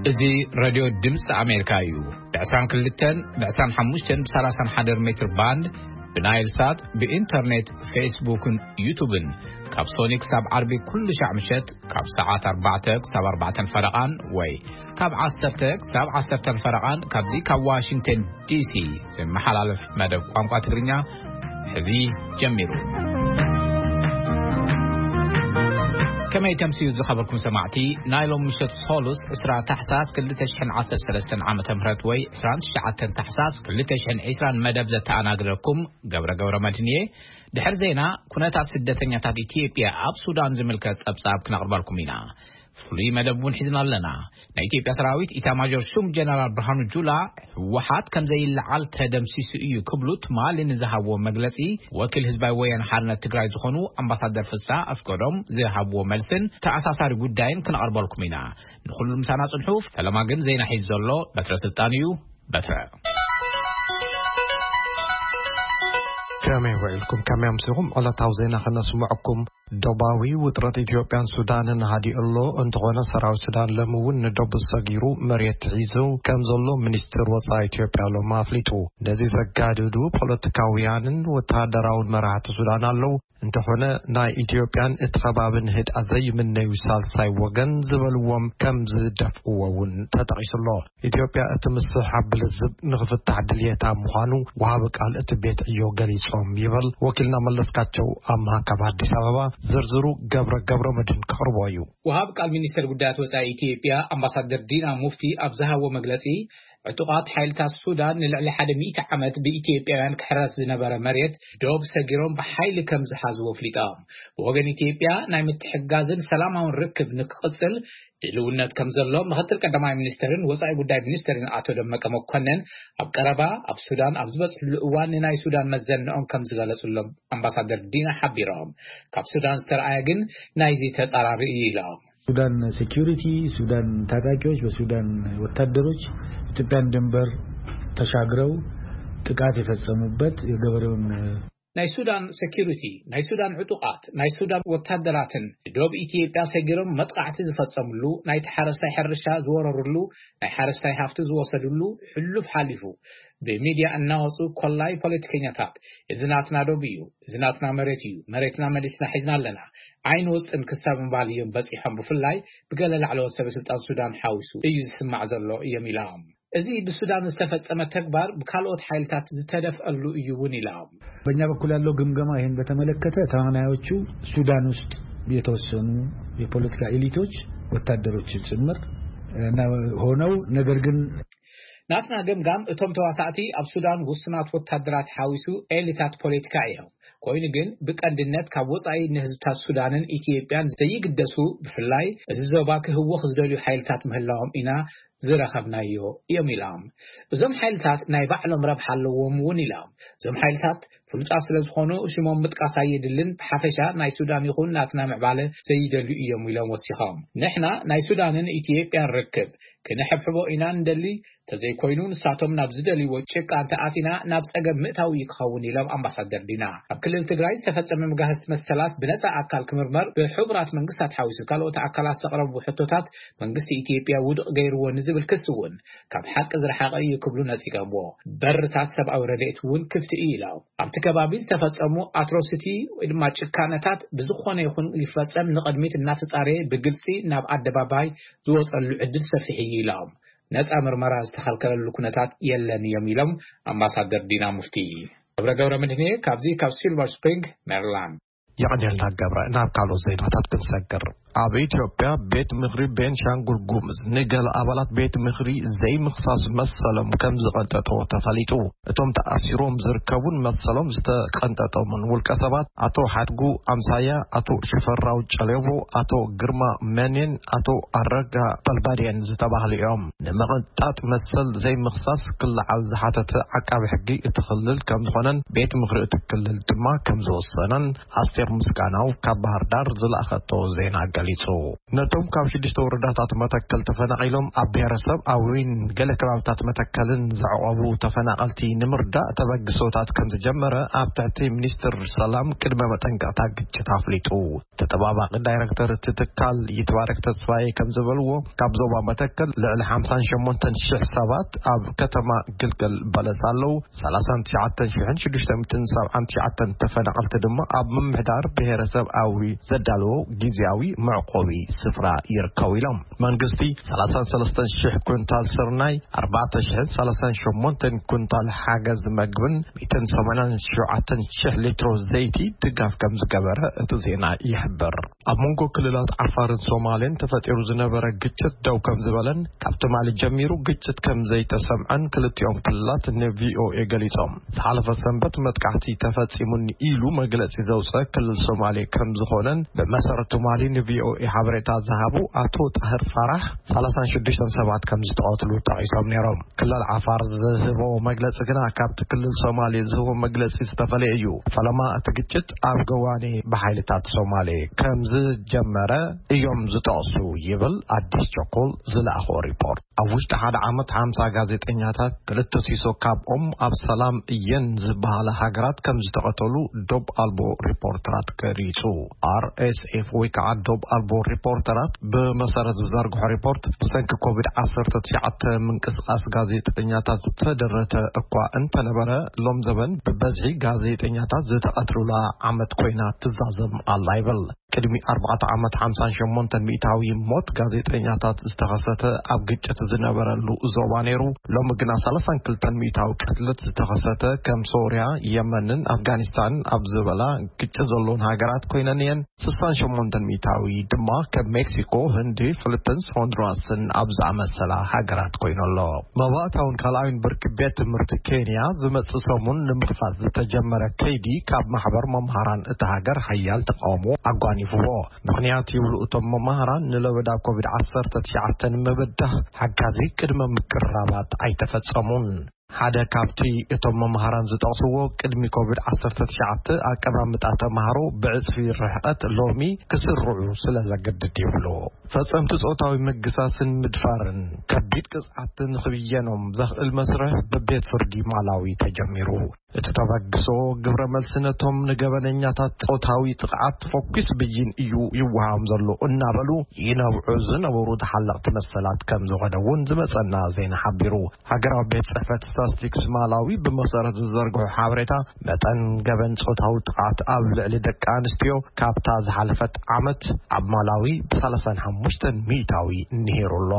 እዚ ሬድዮ ድምፂ ኣሜሪካ እዩ። ብ22፣ ብ25፣ ብ31 ሜትር ባንድ፣ ብናይል ሳት፣ ብኢንተርኔት፣ ፌስቡክን ዩቱብን፣ ካብ ሶኒ ክሳብ ዓርቢ ኩሉ ሻዕ ምሸት፣ ካብ ሰዓት ኣርባዕተ ክሳብ ኣርባዕተን ፈረቓን፣ ወይ ካብ ዓሰርተ ክሳብ ዓሰርተን ፈረቓን፣ ካብዚ ካብ ዋሽንግተን ዲሲ ዝመሓላለፍ መደብ ቋንቋ ትግርኛ ሕዚ ጀሚሩ። ከመይ ተምስዩ ዝኸበርኩም ሰማዕቲ፣ ናይ ሎም ምሸት ሶሉስ ዕስራ ታሕሳስ ክልተ ሽሕን ዓሰርተ ሰለስተን ዓመተ ምህረት ወይ ዕስራን ትሽዓተን ታሕሳስ ክልተ ሽሕን ዕስራን መደብ ዘተኣናግደኩም ገብረ ገብረ መድህን እየ። ድሕሪ ዜና፣ ኩነታት ስደተኛታት ኢትዮጵያ ኣብ ሱዳን ዝምልከት ጸብጻብ ክነቕርበልኩም ኢና። ፍሉይ መደብ እውን ሒዝና ኣለና። ናይ ኢትዮጵያ ሰራዊት ኢታማዦር ሹም ጀነራል ብርሃኑ ጁላ፣ ህወሓት ከም ዘይለዓል ተደምሲሱ እዩ ክብሉ ትማሊ ንዝሃብዎ መግለጺ፣ ወኪል ህዝባዊ ወያነ ሓርነት ትግራይ ዝኾኑ ኣምባሳደር ፍስሐ ኣስገዶም ዝሃብዎ መልስን ተኣሳሳሪ ጉዳይን ክነቕርበልኩም ኢና። ንኹሉ ምሳና ጽንሑ። ፈለማ ግን ዜና ሒዙ ዘሎ በትረ ስልጣን እዩ። በትረ። ከመይ ውዒልኩም? ከመይ ኣምሲኹም? ዕለታዊ ዜና ከነስምዐኩም። ዶባዊ ውጥረት ኢትዮጵያን ሱዳንን ሃዲኡ ኣሎ። እንተኾነ፣ ሰራዊት ሱዳን ሎሚ እውን ንዶብ ሰጊሩ መሬት ሒዙ ከም ዘሎ ሚኒስትር ወጻኢ ኢትዮጵያ ሎሚ ኣፍሊጡ። ነዚ ዘጋድዱ ፖለቲካውያንን ወተሃደራውን መራሕቲ ሱዳን ኣለዉ። እንተኾነ፣ ናይ ኢትዮጵያን እቲ ከባብን ህድኣት ዘይምነዩ ሳልሳይ ወገን ዝበልዎም ከም ዝደፍእዎ እውን ተጠቒሱ ኣሎ። ኢትዮጵያ እቲ ምስሕሓብ ብልዝብ ንኽፍታሕ ድልየታ ምዃኑ ወሃቢ ቃል እቲ ቤት ዕዮ ገሊጾም ይብል ወኪልና መለስካቸው ኣምሃ ካብ ኣዲስ ኣበባ። ዝርዝሩ ገብረ ገብረ መድህን ከቕርቦ እዩ። ወሃቢ ቃል ሚኒስተር ጉዳያት ወጻኢ ኢትዮጵያ ኣምባሳደር ዲና ሙፍቲ ኣብ ዝሃቦ መግለጺ፣ ዕጡቓት ሓይልታት ሱዳን ንልዕሊ ሓደ ሚእቲ ዓመት ብኢትዮጵያውያን ክሕረስ ዝነበረ መሬት ዶብ ሰጊሮም ብሓይሊ ከም ዝሓዝዎ ኣፍሊጦም። ብወገን ኢትዮጵያ ናይ ምትሕግጋዝን ሰላማውን ርክብ ንክቕጽል ድልውነት ከም ዘሎ ምኽትል ቀዳማይ ሚኒስተርን ወጻኢ ጉዳይ ሚኒስተርን ኣቶ ደመቀ መኮነን ኣብ ቀረባ ኣብ ሱዳን ኣብ ዝበጽሕሉ እዋን ንናይ ሱዳን መዘንኦም ከም ዝገለጹሎም ኣምባሳደር ዲና ሓቢሮም። ካብ ሱዳን ዝተረኣየ ግን ናይዚ ተጻራሪ እዩ ኢሎም። ሱዳን ሴኪሪቲ፣ ሱዳን ታጣቂዎች፣ በሱዳን ወታደሮች ኢትዮጵያን ድንበር ተሻግረው ጥቃት የፈጸሙበት የገበሬውን ናይ ሱዳን ሴኪሪቲ፣ ናይ ሱዳን ዕጡቓት፣ ናይ ሱዳን ወታደራትን ዶብ ኢትዮጵያ ሰጊሮም መጥቃዕቲ ዝፈጸምሉ፣ ናይቲ ሓረስታይ ሕርሻ ዝወረሩሉ፣ ናይ ሓረስታይ ሃፍቲ ዝወሰዱሉ ሕሉፍ ሓሊፉ ብሚድያ እናወጹ ኮላይ ፖለቲከኛታት፣ "እዚ ናትና ዶብ እዩ፣ እዚ ናትና መሬት እዩ፣ መሬትና መሊስና ሒዝና ኣለና፣ ዓይን ወጽን ክሳብ ምባል እዮም በጺሖም። ብፍላይ ብገለ ላዕለዎት ሰበ ስልጣን ሱዳን ሓዊሱ እዩ ዝስማዕ ዘሎ" እዮም ኢሎም። እዚ ብሱዳን ዝተፈጸመ ተግባር ብካልኦት ሓይልታት ዝተደፍአሉ እዩ እውን ኢሎም። በእኛ በኩል ያለው ግምገማ ይህን በተመለከተ ተዋናዮቹ ሱዳን ውስጥ የተወሰኑ የፖለቲካ ኤሊቶች፣ ወታደሮች ጭምር እና ሆነው፣ ነገር ግን ናትና ገምጋም እቶም ተዋሳእቲ ኣብ ሱዳን ውሱናት ወታደራት ሓዊሱ ኤሊታት ፖለቲካ እዮም። ኮይኑ ግን ብቀንድነት ካብ ወጻኢ ንህዝብታት ሱዳንን ኢትዮጵያን ዘይግደሱ፣ ብፍላይ እዚ ዞባ ክህወኽ ዝደልዩ ሓይልታት ምህላዎም ኢና ዝረኸብናዮ እዮም ኢሎም። እዞም ሓይልታት ናይ ባዕሎም ረብሓ ኣለዎም እውን ኢሎም። እዞም ሓይልታት ፍሉጣት ስለ ዝኾኑ ሽሞም ምጥቃስ ኣየድልን፣ ብሓፈሻ ናይ ሱዳን ይኹን ናትና ምዕባለ ዘይደልዩ እዮም ኢሎም ወሲኾም። ንሕና ናይ ሱዳንን ኢትዮጵያን ርክብ ክንሕብሕቦ ኢና እንደሊ፣ ተዘይኮይኑ ንሳቶም ናብ ዝደልይዎ ጭቃ እንተኣቲና ናብ ጸገም ምእታው እዩ ክኸውን ኢሎም ኣምባሳደር ዲና። ኣብ ክልል ትግራይ ዝተፈጸመ መጋህስቲ መሰላት ብነጻ ኣካል ክምርመር ብሕቡራት መንግስታት ሓዊሱ ካልኦት ኣካላት ዘቕረቡ ሕቶታት መንግስቲ ኢትዮጵያ ውድቕ ገይርዎ ንዝብል ክሲ እውን ካብ ሓቂ ዝረሓቐ እዩ ክብሉ ነጺጎምዎ። በርታት ሰብኣዊ ረድኤት እውን ክፍቲ እዩ ኢሎም። ኣብቲ ከባቢ ዝተፈጸሙ ኣትሮሲቲ ወይ ድማ ጭካነታት ብዝኾነ ይኹን ይፈጸም ንቕድሚት እናተጻረየ ብግልጺ ናብ ኣደባባይ ዝወጸሉ ዕድል ሰፊሕ እዩ ኢሎም። ነጻ ምርመራ ዝተኸልከለሉ ኩነታት የለን እዮም ኢሎም ኣምባሳደር ዲና ሙፍቲ። ገብረ ገብረ መድህኔ ካብዚ ካብ ሲልቨር ስፕሪንግ ሜሪላንድ። የቐንየልና ገብረ። ናብ ካልኦት ዜናታት ክንሰግር፣ ኣብ ኢትዮጵያ ቤት ምኽሪ ቤንሻንጉል ጉሙዝ ንገለ ኣባላት ቤት ምኽሪ ዘይምኽሳስ መሰሎም ከም ዝቐንጠጠዎ ተፈሊጡ። እቶም ተኣሲሮም ዝርከቡን መሰሎም ዝተቐንጠጦምን ውልቀ ሰባት ኣቶ ሓድጉ ኣምሳያ፣ ኣቶ ሽፈራው ጨሌቦ፣ ኣቶ ግርማ መኔን ኣቶ ኣረጋ በልባድየን ዝተባህሉ እዮም። ንምቕንጣጥ መሰል ዘይምኽሳስ ክለዓል ዝሓተተ ዓቃቢ ሕጊ እቲ ክልል ከም ዝኾነን ቤት ምኽሪ እቲ ክልል ድማ ከም ዝወሰነን ኣስቴር ምስጋናው ካብ ባህር ዳር ዝለኣኸቶ ዜና ገሊጹ። ነቶም ካብ ሽዱሽተ ወረዳታት መተከል ተፈናቒሎም ኣብ ብሔረሰብ ኣዊን ገለ ከባብታት መተከልን ዘዕቆቡ ተፈናቐልቲ ንምርዳእ ተበግሶታት ከም ዝጀመረ ኣብ ትሕቲ ሚኒስትር ሰላም ቅድመ መጠንቀቕታ ግጭት ኣፍሊጡ። ተጠባባቂ ዳይረክተር እቲ ትካል ይትባረክ ተስፋዬ ከም ዝበልዎ፣ ካብ ዞባ መተከል ልዕሊ ሓምሳን ሸሞንተን ሽሕ ሰባት ኣብ ከተማ ግልገል በለስ ኣለዉ። ሰላሳን ትሽዓተን ሽሕን ሽዱሽተ ሚእትን ሰብዓን ትሽዓተን ተፈናቐልቲ ድማ ኣብ ምምሕዳር ብሔረሰብ ኣዊ ዘዳለዎ ግዝያዊ መዕቆቢ ስፍራ ይርከቡ ኢሎም። መንግስቲ ሰላሳን ሰለስተን ሽሕ ኩንታል ስርናይ፣ ኣርባዕተ ሽሕን ሰላሳን ሸሞንተን ኩንታል ሓገዝ መግብን ሚእትን ሰማንያን ሸውዓተን ሽሕ ሊትሮ ዘይቲ ድጋፍ ከም ዝገበረ እቲ ዜና ይሕብር። ኣብ መንጎ ክልላት ዓፋርን ሶማሌን ተፈጢሩ ዝነበረ ግጭት ደው ከም ዝበለን ካብ ትማሊ ጀሚሩ ግጭት ከም ዘይተሰምዐን ክልቲኦም ክልላት ንቪኦኤ ገሊጾም። ዝሓለፈ ሰንበት መጥቃዕቲ ተፈጺሙኒ ኢሉ መግለጺ ዘውፀ ክልል ሶማሌ ከም ዝኾነን ብመሰረት ትማሊ ንቪኦኤ ሓበሬታ ዝሃቡ ኣቶ ጣህር ፋራሕ ሰላሳን ሽዱሽተን ሰባት ከም ዝተቐትሉ ጠቒሶም ነይሮም። ክልል ዓፋር ዝህቦ መግለጺ ግና ካብቲ ክልል ሶማሌ ዝህቦ መግለጺ ዝተፈለየ እዩ። ፈለማ እቲ ግጭት ኣብ ገዋኔ ብሓይልታት ሶማሌ ከም ዝጀመረ እዮም ዝጠቕሱ ይብል ኣዲስ ቸኮል ዝለኣኾ ሪፖርት። ኣብ ውሽጢ ሓደ ዓመት ሓምሳ ጋዜጠኛታት፣ ክልተ ሲሶ ካብኦም ኣብ ሰላም እየን ዝበሃላ ሃገራት ከም ዝተቐተሉ ዶብ ኣልቦ ሪፖርተራት ገሊጹ። ኣርኤስኤፍ ወይ ከዓ ዶብ ኣልቦ ሪፖርተራት ብመሰረት ዝዘርግሖ ሪፖርት፣ ብሰንኪ ኮቪድ ዓሰርተ ትሽዓተ ምንቅስቓስ ጋዜጠኛታት ዝተደረተ እኳ እንተነበረ፣ ሎም ዘበን ብበዝሒ ጋዜጠኛታት ዝተቐትሉላ ዓመት ኮይና ትዛዘም ኣላ ይብል። ቅድሚ ኣርባዕተ ዓመት ሓምሳን ሸሞንተን ሚእታዊ ሞት ጋዜጠኛታት ዝተኸሰተ ኣብ ግጭት ዝነበረሉ ዞባ ነይሩ። ሎሚ ግና ሰላሳን ክልተን ሚእታዊ ቅትለት ዝተኸሰተ ከም ሶርያ፣ የመንን ኣፍጋኒስታንን ኣብ ዝበላ ግጭት ዘለውን ሃገራት ኮይነን እየን። ስሳን ሸሞንተን ሚእታዊ ድማ ከም ሜክሲኮ፣ ህንዲ፣ ፊሊፒንስ፣ ሆንዱራስን ኣብ ዝኣመሰላ ሃገራት ኮይኑ ኣሎ። መባእታውን ካልኣዊን ብርኪ ቤት ትምህርቲ ኬንያ ዝመጽእ ሰሙን ንምኽፋት ዝተጀመረ ከይዲ ካብ ማሕበር መምሃራን እታ ሃገር ሓያል ተቃውሞ ኣጓኒፍዎ። ምኽንያት ይብሉ እቶም መምሃራን ንለበዳ ኮቪድ ዓሰርተ ትሽዓተ ንምብዳህ ሓጋዚ ቅድመ ምቅርራባት ኣይተፈጸሙን። ሓደ ካብቲ እቶም መምሃራን ዝጠቕስዎ ቅድሚ ኮቪድ ዓሰርተ ትሽዓተ ኣቀማምጣ ተምሃሮ ብዕጽፊ ርሕቀት ሎሚ ክስርዑ ስለ ዘገድድ ይብሉ። ፈጸምቲ ጾታዊ ምግሳስን ምድፋርን ከቢድ ቅጽዓት ንኽብየኖም ዘኽእል መስርሕ ብቤት ፍርዲ ማላዊ ተጀሚሩ። እቲ ተበግሶ ግብረ መልሲ ነቶም ንገበነኛታት ጾታዊ ጥቕዓት ፈኲስ ብይን እዩ ይወሃቦም ዘሎ እናበሉ ይነብዑ ዝነበሩ ተሓለቕቲ መሰላት ከም ዝኾነ እውን ዝመጸና ዜና ሓቢሩ። ሃገራዊ ቤት ጽሕፈት ስታስቲክስ ማላዊ ብመሰረት ዝዘርግሖ ሓበሬታ፣ መጠን ገበን ጾታዊ ጥቕዓት ኣብ ልዕሊ ደቂ ኣንስትዮ ካብታ ዝሓለፈት ዓመት ኣብ ማላዊ ብሰላሳን ሓሙሽተን ሚእታዊ ንሂሩ ኣሎ።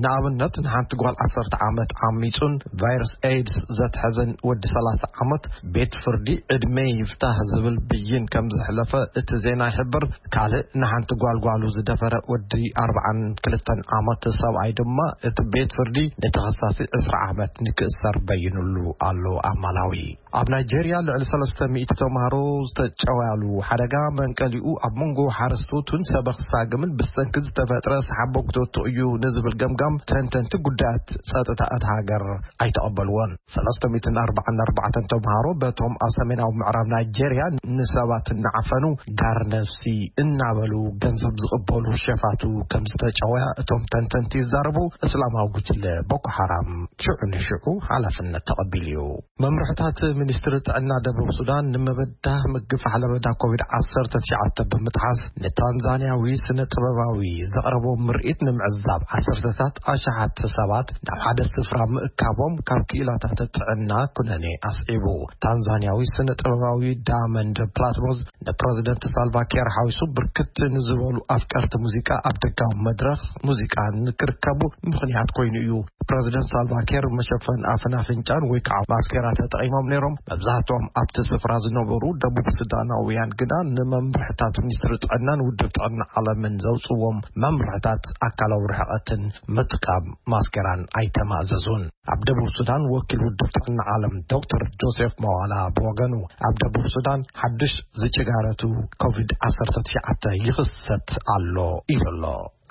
ንኣብነት፣ ንሓንቲ ጓል ዓሰርተ ዓመት ዓሚጹን ቫይረስ ኤድስ ዘትሐዘን ወዲ ሰላሳ ዓመት ቤት ፍርዲ ዕድመ ይፍታህ ዝብል ብይን ከም ዘሕለፈ እቲ ዜና ይሕብር። ካልእ ንሓንቲ ጓል ጓሉ ዝደፈረ ወዲ ኣርብዓን ክልተን ዓመት ሰብኣይ ድማ እቲ ቤት ፍርዲ ንተኸሳሲ ዕስራ ዓመት ንክእሰር በይኑሉ ኣሎ ኣብ ማላዊ። ኣብ ናይጄርያ ልዕሊ ሰለስተ ሚእቲ ተምሃሮ ዝተጨወያሉ ሓደጋ መንቀሊኡ ኣብ መንጎ ሓረስቶትን ሰበኽ ሳግምን ብሰንኪ ዝተፈጥረ ሰሓቦ ክተቱ እዩ ንዝብል ገምጋም ተንተንቲ ጉዳያት ጸጥታ እታ ሃገር ኣይተቐበልዎን። ሰለስተ ሚእትን ኣርባዓን ኣርባዕተን ተምሃሮ በቶም ኣብ ሰሜናዊ ምዕራብ ናይጄርያ ንሰባት እናዓፈኑ ጋር ነፍሲ እናበሉ ገንዘብ ዝቕበሉ ሸፋቱ ከም ዝተጨወያ እቶም ተንተንቲ ይዛረቡ። እስላማዊ ጉጅለ ቦኮ ሓራም ሽዑ ንሽዑ ሓላፍነት ተቐቢሉ እዩ። መምርሕታት ሚኒስትሪ ጥዕና ደቡብ ሱዳን ንምብዳህ ምግፋሕ ለበዳ ኮቪድ ዓሰርተ ትሽዓተ ብምጥሓስ ንታንዛንያዊ ስነ ጥበባዊ ዘቕረቦ ምርኢት ንምዕዛብ ዓሰርተታት ኣሽሓት ሰባት ናብ ሓደ ስፍራ ምእካቦም ካብ ክኢላታት ጥዕና ኩነኔ ኣስዒቡ። ታንዛንያዊ ስነ ጥበባዊ ዳመንድ ፕላትሞዝ ንፕረዚደንት ሳልቫ ኪር ሓዊሱ ብርክት ንዝበሉ ኣፍቀርቲ ሙዚቃ ኣብ ደጋዊ መድረኽ ሙዚቃ ንክርከቡ ምኽንያት ኮይኑ እዩ። ፕረዚደንት ሳልቫ ኪር መሸፈን ኣፍን ኣፍንጫን ወይ ከዓ ማስኬራ ተጠቒሞም ነይሮም። መብዛሕትኦም ኣብቲ ስፍራ ዝነበሩ ደቡብ ሱዳናውያን ግና ንመምርሕታት ሚኒስትሪ ጥዕናን ውድብ ጥዕና ዓለምን ዘውፅዎም መምርሕታት ኣካላዊ ርሕቐትን ምጥቃም ማስኬራን ኣይተማእዘዙን። ኣብ ደቡብ ሱዳን ወኪል ውድብ ጥዕና ዓለም ዶክተር ጆሴፍ መዋላ ብወገኑ፣ ኣብ ደቡብ ሱዳን ሓድሽ ዝጭጋረቱ ኮቪድ ዓሰርተ ትሽዓተ ይኽሰት ኣሎ ኢሉ ኣሎ።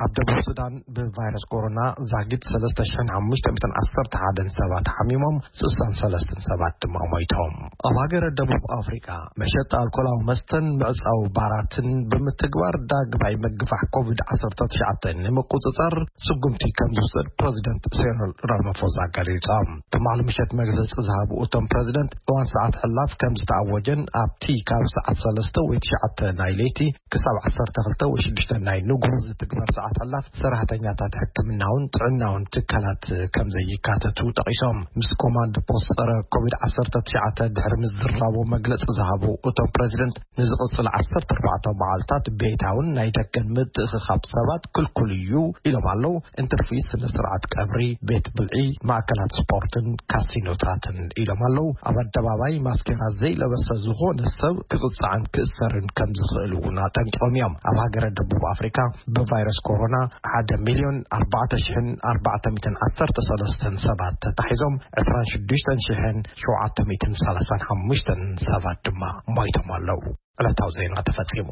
ኣብ ደቡብ ሱዳን ብቫይረስ ኮሮና ዛጊት ሰለስተ ሽሕን ሓሙሽተ ሚእትን ዓሰርተ ሓደን ሰባት ሓሚሞም፣ ስሳን ሰለስተን ሰባት ድማ ሞይቶም። ኣብ ሃገረ ደቡብ ኣፍሪካ መሸጣ ኣልኮላዊ መስተን ምዕፃው ባራትን ብምትግባር ዳግማይ ምግፋሕ ኮቪድ ዓሰርተ ትሽዓተ ንምቁፅፃር ስጉምቲ ከም ዝውሰድ ፕረዚደንት ሴሪል ራማፎዛ ገሊፆም። ትማሊ ምሸት መግለፂ ዝሃቡ እቶም ፕረዚደንት እዋን ሰዓት ሕላፍ ከም ዝተኣወጀን ኣብቲ ካብ ሰዓት ሰለስተ ወይ ትሽዓተ ናይ ለይቲ ክሳብ ዓሰርተ ክልተ ወይ ሽዱሽተ ናይ ንጉሆ ዝትግበር ሰዓት ሕላፍ ሰራሕተኛታት ሕክምናውን ጥዕናውን ትካላት ከም ዘይካተቱ ጠቒሶም። ምስ ኮማንድ ፖስት ጸረ ኮቪድ ዓሰርተ ትሽዓተ ድሕሪ ምዝራቦ መግለጺ ዝሃቡ እቶም ፕረዚደንት ንዝቕጽል ዓሰርተ ኣርባዕተ መዓልታት ቤታውን ናይ ደገን ምትእኽኻብ ሰባት ክልኩል እዩ ኢሎም ኣለዉ። እንትርፊ ስነ ስርዓት ቀብሪ፣ ቤት ብልዒ፣ ማእከላት ስፖርትን ካሲኖታትን ኢሎም ኣለዉ። ኣብ ኣደባባይ ማስኬራ ዘይለበሰ ዝኾነ ሰብ ክቕጻዕን ክእሰርን ከም ዝኽእል እውን ኣጠንቂቖም እዮም። ኣብ ሃገረ ደቡብ ኣፍሪካ ብቫይረስ ኮሮና ሓደ ሚልዮን ኣርባዕተ ሽሕን ኣርባዕተ ሚእትን ዓሰርተ ሰለስተን ሰባት ተታሒዞም፣ ዕስራን ሽዱሽተን ሽሕን ሸውዓተ ሚእትን ሰላሳን ሓሙሽተን ሰባት ድማ ሞይቶም ኣለዉ። ዕለታዊ ዜና ተፈጺሙ።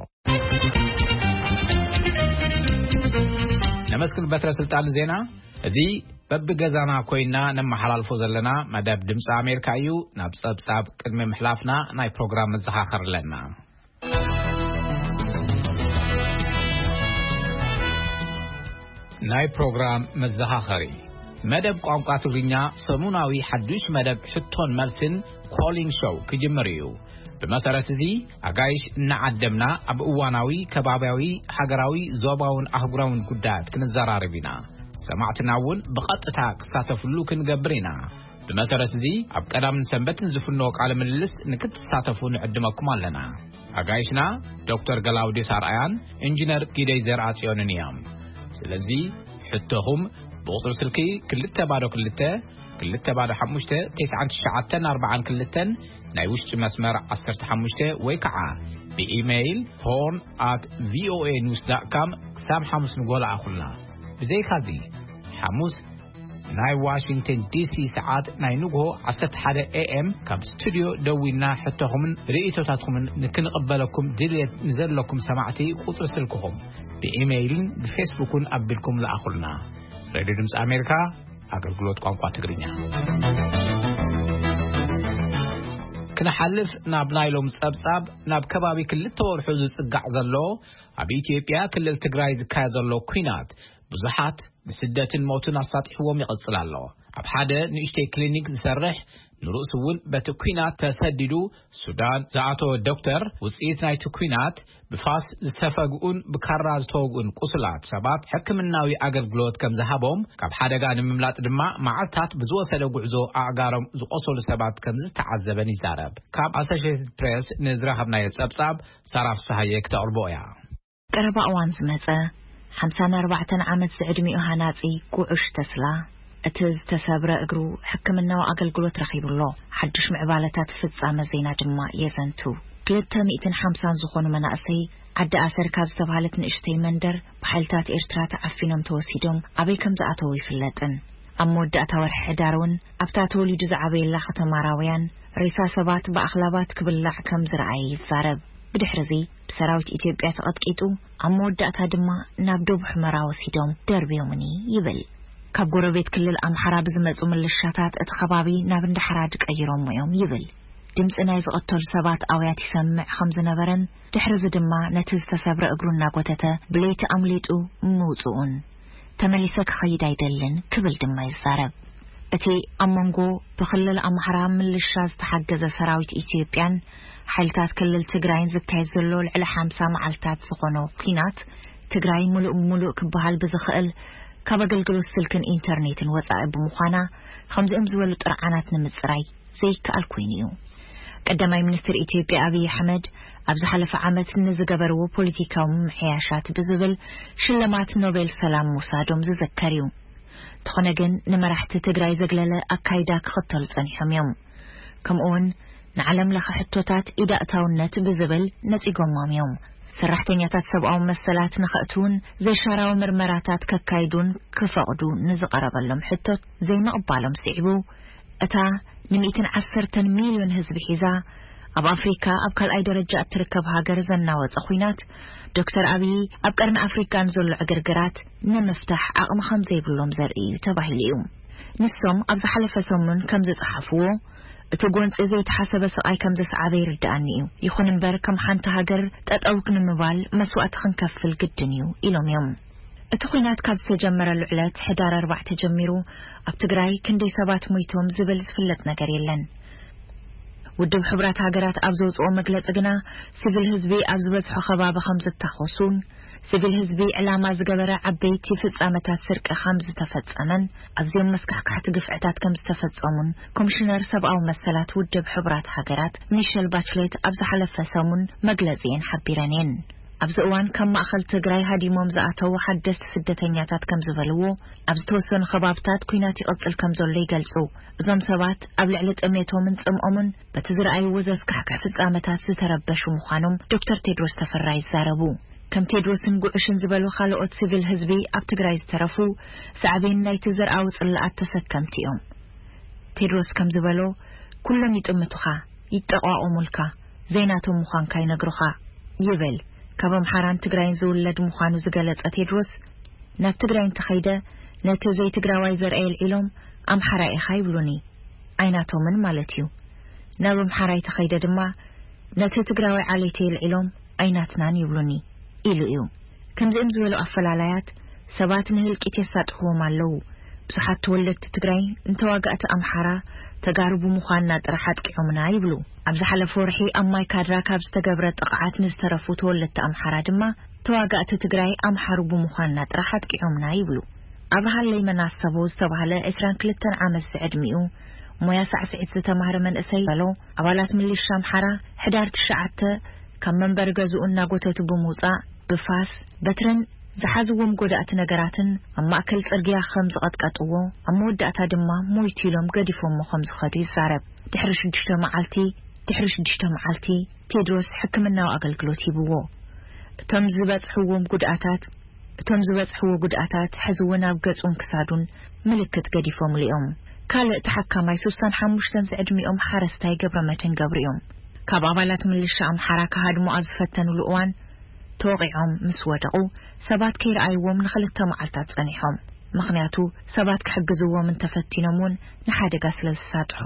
ነመስግን በትረ ስልጣን ዜና። እዚ በብገዛና ኮይና ነመሓላልፎ ዘለና መደብ ድምፂ ኣሜሪካ እዩ። ናብ ጸብጻብ ቅድሚ ምሕላፍና ናይ ፕሮግራም መዘኻኸር ኣለና። ናይ ፕሮግራም መዘኻኸሪ። መደብ ቋንቋ ትግርኛ ሰሙናዊ ሓዱሽ መደብ ሕቶን መልስን ኮሊን ሾው ክጅምር እዩ። ብመሰረት እዚ ኣጋይሽ እናዓደምና ኣብ እዋናዊ፣ ከባብያዊ፣ ሃገራዊ፣ ዞባውን ኣህጉራውን ጉዳያት ክንዘራረብ ኢና። ሰማዕትና እውን ብቐጥታ ክሳተፍሉ ክንገብር ኢና። ብመሰረት እዚ ኣብ ቀዳምን ሰንበትን ዝፍኖ ቃለ ምልልስ ንክትሳተፉ ንዕድመኩም ኣለና። ኣጋይሽና ዶክተር ገላውዴስ ኣርኣያን ኢንጂነር ጊደይ ዘርኣጽዮንን እዮም። ስለዚ ሕቶኹም ብቑጽሪ ስልኪ ክልተ ባዶ ክልተ፣ ክልተ ባዶ ሓሙሽተ፣ ተስዓን ትሽዓተን ኣርባዓን ክልተን ናይ ውሽጢ መስመር ዓሰርተ ሓሙሽተ ወይ ከዓ ብኢሜይል ሆርን ኣት ቪኦኤ ኒውስ ዳት ካም ክሳብ ሓሙስ ንጎ ለኣኹልና። ብዘይካዚ ሓሙስ ናይ ዋሽንግተን ዲሲ ሰዓት ናይ ንግሆ ዓሰርተ ሓደ ኤ ኤም ካብ ስቱድዮ ደዊልና ሕቶኹምን ርእይቶታትኩምን ንክንቕበለኩም ድልየት ንዘለኩም ሰማዕቲ ቁጽሪ ስልክኹም ብኢሜይልን ብፌስቡክን ኣቢልኩም ለኣኹልና። ሬድዮ ድምፂ ኣሜሪካ፣ ኣገልግሎት ቋንቋ ትግርኛ። ክንሓልፍ ናብ ናይ ሎም ጸብጻብ፣ ናብ ከባቢ ክልተ ወርሑ ዝጽጋዕ ዘሎ ኣብ ኢትዮጵያ ክልል ትግራይ ዝካየድ ዘሎ ኲናት ብዙሓት ንስደትን ሞትን ኣሳጢሕዎም ይቕጽል ኣሎ። ኣብ ሓደ ንእሽተይ ክሊኒክ ዝሰርሕ፣ ንርእሱ እውን በቲ ኲናት ተሰዲዱ ሱዳን ዝኣተወ ዶክተር፣ ውጽኢት ናይቲ ኲናት ብፋስ ዝተፈግኡን ብካራ ዝተወግኡን ቁስላት ሰባት ሕክምናዊ ኣገልግሎት ከም ዝሃቦም፣ ካብ ሓደጋ ንምምላጥ ድማ መዓልታት ብዝወሰደ ጉዕዞ ኣእጋሮም ዝቆሰሉ ሰባት ከም ዝተዓዘበን ይዛረብ። ካብ ኣሶሼትድ ፕሬስ ንዝረኸብናዮ ጸብጻብ ሳራ ፍስሃየ ክተቕርቦ እያ። ቀረባ እዋን ዝመጸ ሓምሳን ኣርባዕተን ዓመት ዝዕድሚኡ ሃናጺ ጉዑሽ ተስላ፣ እቲ ዝተሰብረ እግሩ ሕክምናዊ ኣገልግሎት ረኺቡ ኣሎ። ሓድሽ ምዕባለታት ፍጻመ ዜና ድማ የዘንቱ። ክልተ ሚእትን ሓምሳን ዝኾኑ መናእሰይ ዓዲ ኣሰር ካብ ዝተባህለት ንእሽተይ መንደር ብሓይልታት ኤርትራ ተዓፊኖም ተወሲዶም ኣበይ ከም ዝኣተዉ ይፍለጥን። ኣብ መወዳእታ ወርሒ ሕዳር እውን ኣብታ ተወሊዱ ዝዓበየላ ከተማ ራውያን ሬሳ ሰባት ብኣኽላባት ክብላዕ ከም ዝረኣየ ይዛረብ። ብድሕርዚ ብሰራዊት ኢትዮጵያ ተቐጥቂጡ፣ ኣብ መወዳእታ ድማ ናብ ዶብ ሑመራ ወሲዶም ደርብዮምኒ ይብል። ካብ ጎረቤት ክልል ኣምሓራ ብዝመጹ ምልሻታት እቲ ከባቢ ናብ እንዳ ሓራድ ቀይሮሞ እዮም ይብል። ድምጺ ናይ ዝቐተሉ ሰባት ኣውያት ይሰምዕ ከም ዝነበረን፣ ድሕርዚ ድማ ነቲ ዝተሰብረ እግሩ እናጎተተ ብለይቲ ኣምሊጡ ምውጽኡን፣ ተመሊሰ ክኸይድ ኣይደልን ክብል ድማ ይዛረብ። እቲ ኣብ መንጎ ብክልል ኣምሓራ ምልሻ ዝተሓገዘ ሰራዊት ኢትዮጵያን ሓይልታት ክልል ትግራይን ዝካየድ ዘሎ ልዕሊ ሓምሳ መዓልታት ዝኾኖ ኲናት፣ ትግራይ ምሉእ ብምሉእ ክበሃል ብዝኽእል ካብ ኣገልግሎት ስልክን ኢንተርኔትን ወጻኢ ብምዃና፣ ከምዚኦም ዝበሉ ጥርዓናት ንምጽራይ ዘይከኣል ኮይኑ እዩ። ቀዳማይ ሚኒስትር ኢትዮጵያ ኣብይ ኣሕመድ ኣብ ዝሓለፈ ዓመት ንዝገበርዎ ፖለቲካዊ ምምሕያሻት ብዝብል ሽልማት ኖቤል ሰላም ምውሳዶም ዝዝከር እዩ። እንተኾነ ግን ንመራሕቲ ትግራይ ዘግለለ ኣካይዳ ክኽተሉ ጸኒሖም እዮም። ከምኡውን ንዓለም ለኸ ሕቶታት ኢዳእታውነት ብዝብል ነጺጎሞም እዮም። ሰራሕተኛታት ሰብኣዊ መሰላት ንኸእትውን ዘይሻራዊ ምርመራታት ከካይዱን ክፈቕዱ ንዝቐረበሎም ሕቶት ዘይምቕባሎም ስዒቡ፣ እታ ንሚእትን ዓሰርተን ሚልዮን ህዝቢ ሒዛ ኣብ ኣፍሪካ ኣብ ካልኣይ ደረጃ እትርከብ ሃገር ዘናወጸ ኲናት፣ ዶክተር ኣብይ ኣብ ቀርኒ ኣፍሪካ ንዘሎ ዕግርግራት ንምፍታሕ ዓቕሚ ከም ዘይብሎም ዘርኢ እዩ ተባሂሉ እዩ። ንሶም ኣብ ዝሓለፈ ሰሙን ከም ዝጸሓፍዎ፣ እቲ ጎንጺ ዘይተሓሰበ ስቓይ ከም ዘስዓበ ይርድኣኒ እዩ። ይኹን እምበር፣ ከም ሓንቲ ሃገር ጠጠው ንምባል መስዋእቲ ክንከፍል ግድን እዩ ኢሎም እዮም። እቲ ኲናት ካብ ዝተጀመረሉ ዕለት ሕዳር ኣርባዕተ ጀሚሩ ኣብ ትግራይ ክንደይ ሰባት ሞይቶም ዝብል ዝፍለጥ ነገር የለን። ውድብ ሕቡራት ሃገራት ኣብ ዘውፅኦ መግለፂ ግና፣ ሲቪል ህዝቢ ኣብ ዝበዝሖ ከባቢ ከም ዝታኾሱን፣ ሲቪል ህዝቢ ዕላማ ዝገበረ ዓበይቲ ፍጻመታት ስርቂ ከም ዝተፈጸመን፣ ኣዝዮም መስካሕካሕቲ ግፍዕታት ከም ዝተፈጸሙን ኮሚሽነር ሰብኣዊ መሰላት ውድብ ሕቡራት ሃገራት ሚሸል ባችሌት ኣብ ዝሓለፈ ሰሙን መግለጺ እየን ሓቢረን እየን። ኣብዚ እዋን ካብ ማእኸል ትግራይ ሃዲሞም ዝኣተዉ ሓደስቲ ስደተኛታት ከም ዝበልዎ፣ ኣብ ዝተወሰኑ ከባብታት ኲናት ይቕጽል ከም ዘሎ ይገልጹ። እዞም ሰባት ኣብ ልዕሊ ጥሜቶምን ጽምኦምን በቲ ዝረኣይዎ ዘስካሕክሕ ፍጻመታት ዝተረበሹ ምዃኖም ዶክተር ቴድሮስ ተፈራ ይዛረቡ። ከም ቴድሮስን ጉዕሽን ዝበሉ ካልኦት ሲቪል ህዝቢ ኣብ ትግራይ ዝተረፉ፣ ሳዕቤን ናይቲ ዘርኣዊ ጽልኣት ተሰከምቲ እዮም። ቴድሮስ ከም ዝበሎ፣ "ኩሎም ይጥምቱኻ፣ ይጠቋቖሙልካ፣ ዘይናቶም ምዃንካ ይነግሩኻ" ይብል። ካብ ኣምሓራን ትግራይን ዝውለድ ምዃኑ ዝገለጸ ቴድሮስ፣ "ናብ ትግራይ እንተኸይደ፣ ነቲ ዘይትግራዋይ ዘርኣይ ኣልዒሎም፣ ኣምሓራይ ኢኻ ይብሉኒ፣ ኣይናቶምን ማለት እዩ። ናብ ኣምሓራይ ተኸይደ ድማ፣ ነቲ ትግራዋይ ዓሌተይ ኣልዒሎም፣ ኣይናትናን ይብሉኒ" ኢሉ እዩ። ከምዚኦም ዝበሉ ኣፈላላያት ሰባት ንህልቂት የሳጥሕዎም ኣለዉ። ብዙሓት ተወለድቲ ትግራይ ንተዋጋእቲ ኣምሓራ ተጋሩ ብምዃንና ጥራሕ ኣጥቂዖምና ይብሉ። ኣብ ዝሓለፈ ወርሒ ኣብ ማይ ካድራ ካብ ዝተገብረ ጥቕዓት ንዝተረፉ ተወለድቲ ኣምሓራ ድማ፣ ተዋጋእቲ ትግራይ ኣምሓሩ ብምዃንና ጥራሕ ኣጥቂዖምና ይብሉ። ኣብርሃለይ መናሰቦ ዝተባህለ ዕስራን ክልተን ዓመት ዝዕድሚኡ ሞያ ሳዕስዒት ዝተማህረ መንእሰይ በሎ፣ ኣባላት ምልሻ ኣምሓራ ሕዳር ትሽዓተ ካብ መንበሪ ገዝኡ እናጎተቱ ብምውጻእ፣ ብፋስ፣ በትርን ዝሓዝዎም ጎዳእቲ ነገራትን ኣብ ማእከል ጽርግያ ከም ዝቐጥቀጥዎ፣ ኣብ መወዳእታ ድማ ሞይቱ ኢሎም ገዲፎሞ ከም ዝኸዱ ይዛረብ። ድሕሪ ሽዱሽተ መዓልቲ፣ ድሕሪ ሽዱሽተ መዓልቲ ቴድሮስ ሕክምናዊ ኣገልግሎት ሂብዎ። እቶም ዝበጽሕዎም ጉድኣታት፣ እቶም ዝበጽሕዎ ጉድኣታት ሕዚ እውን ኣብ ገጹን ክሳዱን ምልክት ገዲፎምሉ እዮም። ካልእ ተሓካማይ ሱሳን ሓሙሽተን ዝዕድሚኦም ሓረስታይ ገብረመድህን ገብሩ እዮም። ካብ ኣባላት ምልሻ ኣምሓራ ክሃድሙ ኣብ ዝፈተኑሉ እዋን ተወቒዖም ምስ ወደቑ፣ ሰባት ከይረኣይዎም ንኽልተ መዓልታት ጸኒሖም። ምኽንያቱ፣ ሰባት ክሕግዝዎም እንተፈቲኖም እውን ንሓደጋ ስለ ዝሳጥሑ፣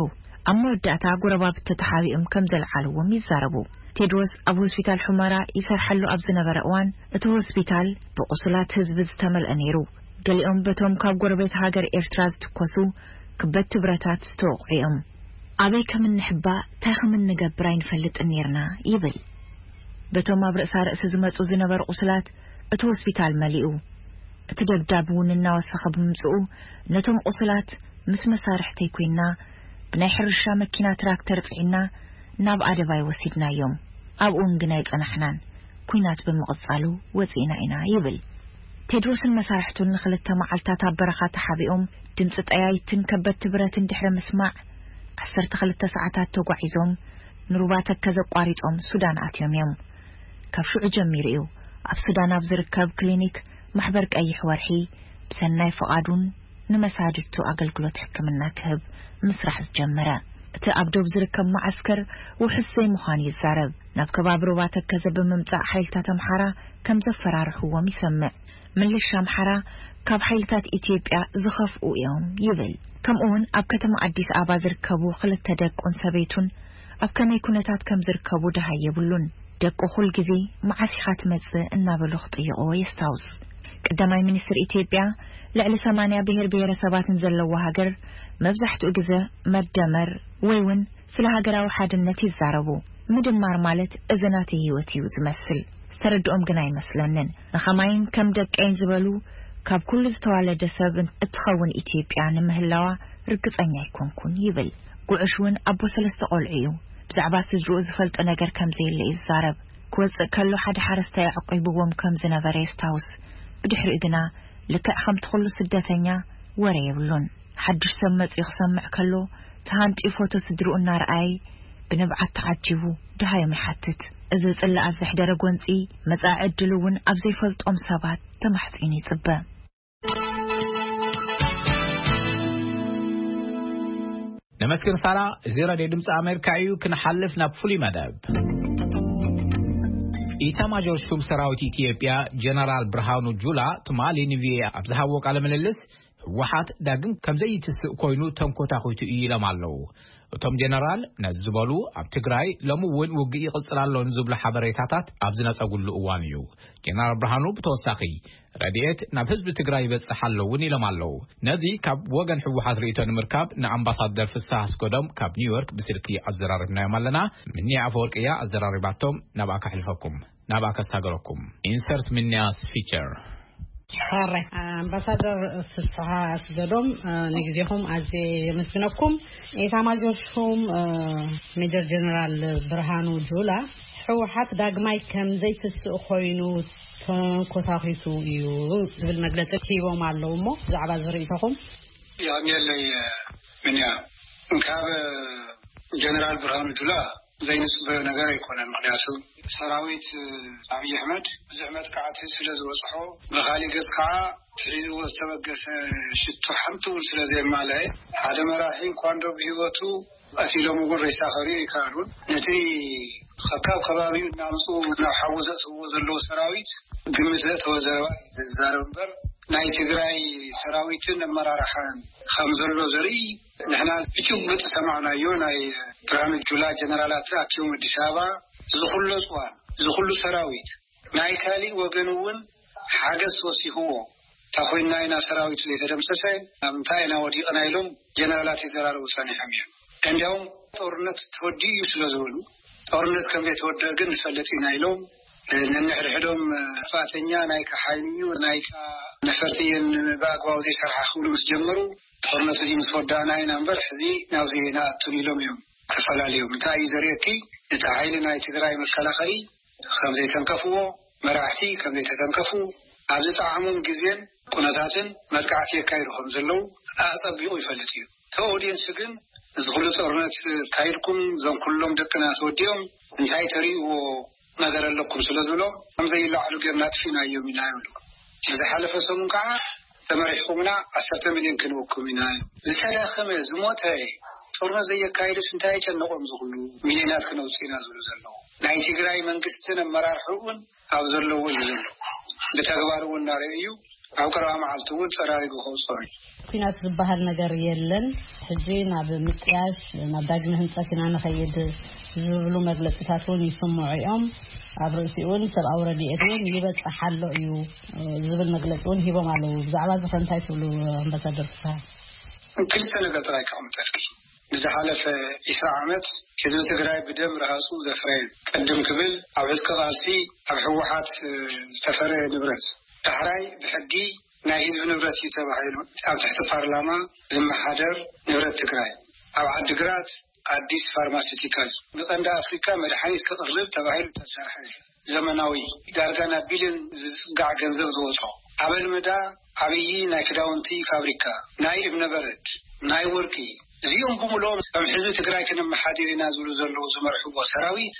ኣብ መወዳእታ ጎረባብቲ ተሓቢኦም ከም ዘልዓልዎም ይዛረቡ። ቴድሮስ ኣብ ሆስፒታል ሑመራ ይሰርሐሉ ኣብ ዝነበረ እዋን፣ እቲ ሆስፒታል ብቑሱላት ህዝቢ ዝተመልአ ነይሩ። ገሊኦም በቶም ካብ ጎረቤት ሃገር ኤርትራ ዝትኮሱ ክበድቲ ብረታት ዝተወቕዑ እዮም። "ኣበይ ከም እንሕባእ፣ እንታይ ከም እንገብር ኣይንፈልጥን ነይርና" ይብል። በቶም ኣብ ርእሳ ርእሲ ዝመጹ ዝነበሩ ቁስላት እቲ ሆስፒታል መሊኡ። እቲ ደብዳብ እውን እናወሰኸ ብምምጽኡ፣ ነቶም ቁስላት ምስ መሳርሕተይ ኮይና፣ ብናይ ሕርሻ መኪና ትራክተር ጽዒና ናብ ኣደባይ ወሲድናዮም። ኣብኡን ግን ኣይጸናሕናን። ኲናት ብምቕጻሉ ወጺእና ኢና ይብል። ቴድሮስን መሳርሕቱን ንኽልተ መዓልታት ኣብ በረኻ ተሓቢኦም፣ ድምጺ ጠያይትን ከበድቲ ብረትን ድሕሪ ምስማዕ፣ ዓሰርተ ክልተ ሰዓታት ተጓዒዞም ንሩባ ተከዘ ኣቋሪጾም ሱዳን ኣትዮም እዮም። ካብ ሽዑ ጀሚሩ እዩ ኣብ ሱዳን ኣብ ዝርከብ ክሊኒክ ማሕበር ቀይሕ ወርሒ ብሰናይ ፍቓዱን ንመሳድድቱ ኣገልግሎት ሕክምና ክህብ ምስራሕ ዝጀመረ። እቲ ኣብ ዶብ ዝርከብ መዓስከር ውሑስ ዘይምዃኑ ይዛረብ። ናብ ከባቢ ሩባ ተከዘ ብምምጻእ ሓይልታት ኣምሓራ ከም ዘፈራርሕዎም ይሰምዕ። ምልሻ ኣምሓራ ካብ ሓይልታት ኢትዮጵያ ዝኸፍኡ እዮም ይብል። ከምኡውን ኣብ ከተማ ኣዲስ ኣበባ ዝርከቡ ክልተ ደቁን ሰበይቱን ኣብ ከመይ ኩነታት ከም ዝርከቡ ደሃይ የብሉን። ደቁ ኩል ግዜ "መዓስ ኢኻ ትመጽእ?" እናበሉ ክጥይቕዎ የስታውስ። ቀዳማይ ሚኒስትር ኢትዮጵያ፣ ልዕሊ ሰማንያ ብሔር ብሔረሰባትን ዘለዋ ሃገር፣ መብዛሕትኡ ግዜ መደመር ወይ እውን ስለ ሃገራዊ ሓድነት ይዛረቡ። ምድማር ማለት እዚ ናተይ ህይወት እዩ ዝመስል። ዝተረድኦም ግን ኣይመስለንን። ንኸማይን ከም ደቀይን ዝበሉ ካብ ኩሉ ዝተዋለደ ሰብ እትኸውን ኢትዮጵያ ንምህላዋ ርግጸኛ ኣይኮንኩን ይብል። ጉዕሽ እውን ኣቦ ሰለስተ ቆልዑ እዩ። ብዛዕባ ስድርኡ ዝፈልጦ ነገር ከም ዘየለ እዩ ዝዛረብ። ክወጽእ ከሎ ሓደ ሓረስታይ ኣዕቂብዎም ከም ዝነበረ የስታውስ። ብድሕሪኡ ግና ልክዕ ከምቲ ኩሉ ስደተኛ ወረ የብሉን። ሓድሽ ሰብ መጺኡ ክሰምዕ ከሎ፣ ተሃንጥዩ ፎቶ ስድርኡ እናረኣየ ብንብዓት ተዓጂቡ ደሃዮም ይሓትት። እዚ ጽልኣት ዘሕደረ ጎንጺ፣ መጻኢ ዕድሉ እውን ኣብ ዘይፈልጦም ሰባት ተማሕጺኑ ይጽበ። ነመስግን ሳራ። እዚ ሬድዮ ድምፂ ኣሜሪካ እዩ። ክንሓልፍ ናብ ፍሉይ መደብ። ኢታማጆር ሹም ሰራዊት ኢትዮጵያ ጀነራል ብርሃኑ ጁላ ትማሊ ንቪኦኤ ኣብ ዝሃብዎ ቃለ ምልልስ፣ ህወሓት ዳግም ከም ዘይትስእ ኮይኑ ተንኮታኺቱ እዩ ኢሎም ኣለዉ። እቶም ጀነራል ነዚ ዝበሉ፣ ኣብ ትግራይ ሎሚ እውን ውግእ ይቕፅል ኣሎ ንዝብሉ ሓበሬታታት ኣብ ዝነፀጉሉ እዋን እዩ። ጀነራል ብርሃኑ ብተወሳኺ፣ ረድኤት ናብ ህዝቢ ትግራይ ይበፅሕ ኣሎ እውን ኢሎም ኣለዉ። ነዚ ካብ ወገን ህወሓት ርእይቶ ንምርካብ ንኣምባሳደር ፍስሃ ኣስገዶም ካብ ኒውዮርክ ብስልኪ ኣዘራሪብናዮም ኣለና። ምንያ ኣፈወርቂ እያ ኣዘራሪባቶም። ናብኣ ከሕልፈኩም፣ ናብኣ ከሳገረኩም። ኢንሰርት ምንያስ ፊቸር። ሕራይ ኣምባሳደር ፍስሓ ኣስገዶም፣ ንግዜኹም ኣዝየ የመስግነኩም። ኤታማጆር ሹም ሜጀር ጀነራል ብርሃኑ ጁላ፣ ህወሓት ዳግማይ ከም ዘይትስእ ኮይኑ ተንኮታኺቱ እዩ ዝብል መግለጺ ሂቦም ኣለዉ። እሞ ብዛዕባ ዝርእይቶኹም? ያም የለይ ምንያ፣ ካብ ጀነራል ብርሃኑ ጁላ ዘይንጽበዮ ነገር ኣይኮነን። ምክንያቱ ሰራዊት ኣብይ ኣሕመድ ብዙሕ መጥቃዕቲ ስለ ዝበጽሖ፣ ብኻሊእ ገጽ ከዓ ትሒዝዎ ዝተበገሰ ሽቶ ሓንቲ እውን ስለ ዘየማለአ፣ ሓደ መራሒ እንኳ እንዶ ብህይወቱ ቀቲሎም እውን ሬሳ ከርእዩ ኣይከኣሉን። ነቲ ከካብ ከባቢኡ እናምፅኡ ናብ ሓዊ ዘእትውዎ ዘለዉ ሰራዊት ግምት ዘእተወ ዘረባ እዩ ዝዛረብ እምበር፣ ናይ ትግራይ ሰራዊትን ኣመራርሓን ከም ዘሎ ዘርኢ ንሕና ብጭቡጥ ዝሰማዕናዮ፣ ናይ ብርሃኑ ጁላ ጀነራላት ኣትዮም ኣዲስ ኣበባ፣ እዚ ኩሎ እፅዋን፣ እዚ ኩሉ ሰራዊት፣ ናይ ካሊእ ወገን እውን ሓገዝ ተወሲኽዎ እንተኾይንና ኢና ሰራዊቱ ዘይተደምሰሰ፣ ኣብ እንታይ ኢና ወዲቕና ኢሎም ጀነራላት ይዘራረቡ ጸኒሖም እዮም። እንዲያውም ጦርነት ተወዲኡ እዩ ስለ ዝበሉ፣ ጦርነት ከም ዘይተወደአ ግን ንፈልጥ ኢና ኢሎም፣ ነንሕድሕዶም ጥፋተኛ ናይካ ሓይሊ እዩ፣ ናይካ ነፈርቲ እየን ብኣግባቡ ዘይሰርሓ ክብሉ ምስ ጀመሩ፣ ጦርነት እዚ ምስ ወዳእና ኢና እምበር፣ ሕዚ ናብዚ ኣይንኣቱን ኢሎም እዮም ተፈላለዮም። እንታይ እዩ ዘርእየኪ? እቲ ሓይሊ ናይ ትግራይ መከላኸሊ ከም ዘይተንከፍዎ፣ መራሕቲ ከም ዘይተተንከፉ፣ ኣብ ዝጠዓሞም ግዜን ኩነታትን መጥቃዕቲ የካይዱ ከም ዘለዉ ኣጸቢቑ ይፈልጥ እዩ። እቲ ኦዲየንስ ግን፣ እዚ ኩሉ ጦርነት ካይድኩም፣ እዞም ኩሎም ደቅና ተወዲኦም፣ እንታይ ተርእይዎ ነገር ኣለኩም ስለ ዝብሎ፣ ከም ዘይለዓሉ ጌርና ኣጥፊእናዮም ኢና ይብሉ። ዝሓለፈ ሰሙን ከዓ፣ ተመሪሕኩምና ዓሰርተ ሚልዮን ክንወኩም ኢና። ዝተዳኸመ፣ ዝሞተ፣ ጦርነት ዘየካየደስ እንታይ የጨነቖም ዝኽሉ ሚልዮናት ክነውፅእ ኢና ዝብሉ ዘለዉ? ናይ ትግራይ መንግስትን ኣመራርሕኡን ኣብ ዘለዎ እዩ ዘሎ። ብተግባር እውን እናረኣየ እዩ። ኣብ ቀረባ መዓልቲ እውን ፀራሪጉ ከውፅኦም እዩ። ኲናት ዝበሃል ነገር የለን፣ ሕጂ ናብ ምጥያሽ፣ ናብ ዳግመ ህንፀት ኢና ንኸይድ ዝብሉ መግለፂታት እውን ይስምዑ እዮም። ኣብ ርእሲኡ እውን ሰብኣዊ ረድኤት እውን ይበፅሕ ኣሎ እዩ ዝብል መግለፂ እውን ሂቦም ኣለዉ። ብዛዕባ እዚ ኸ እንታይ ትብሉ ኣምባሳደር ፍስሃ? ክልተ ነገር ጥራይ ከቐምጠልኪ። ንዝሓለፈ ዒስራ ዓመት ህዝቢ ትግራይ ብደም ረሃፁ ዘፍረየ፣ ቅድም ክብል ኣብ ዕጥቂ ቃልሲ ኣብ ህወሓት ዝተፈረ ንብረት፣ ዳሕራይ ብሕጊ ናይ ህዝቢ ንብረት እዩ ተባሂሉ ኣብ ትሕቲ ፓርላማ ዝመሓደር ንብረት ትግራይ፣ ኣብ ዓዲግራት ኣዲስ ፋርማሲቲካል ንቐንዲ ኣፍሪካ መድሓኒት ክቕርብ ተባሂሉ ዝተሰርሐ ዘመናዊ፣ ዳርጋ ናብ ቢልዮን ዝፅጋዕ ገንዘብ ዝወፆ፣ ኣብ ኣልመዳ ዓብዪ ናይ ክዳውንቲ ፋብሪካ፣ ናይ እብነበረድ፣ ናይ ወርቂ፣ እዚኦም ብምልኦም ከም ህዝቢ ትግራይ ክነመሓድር ኢና ዝብሉ ዘለዉ ዝመርሕዎ ሰራዊት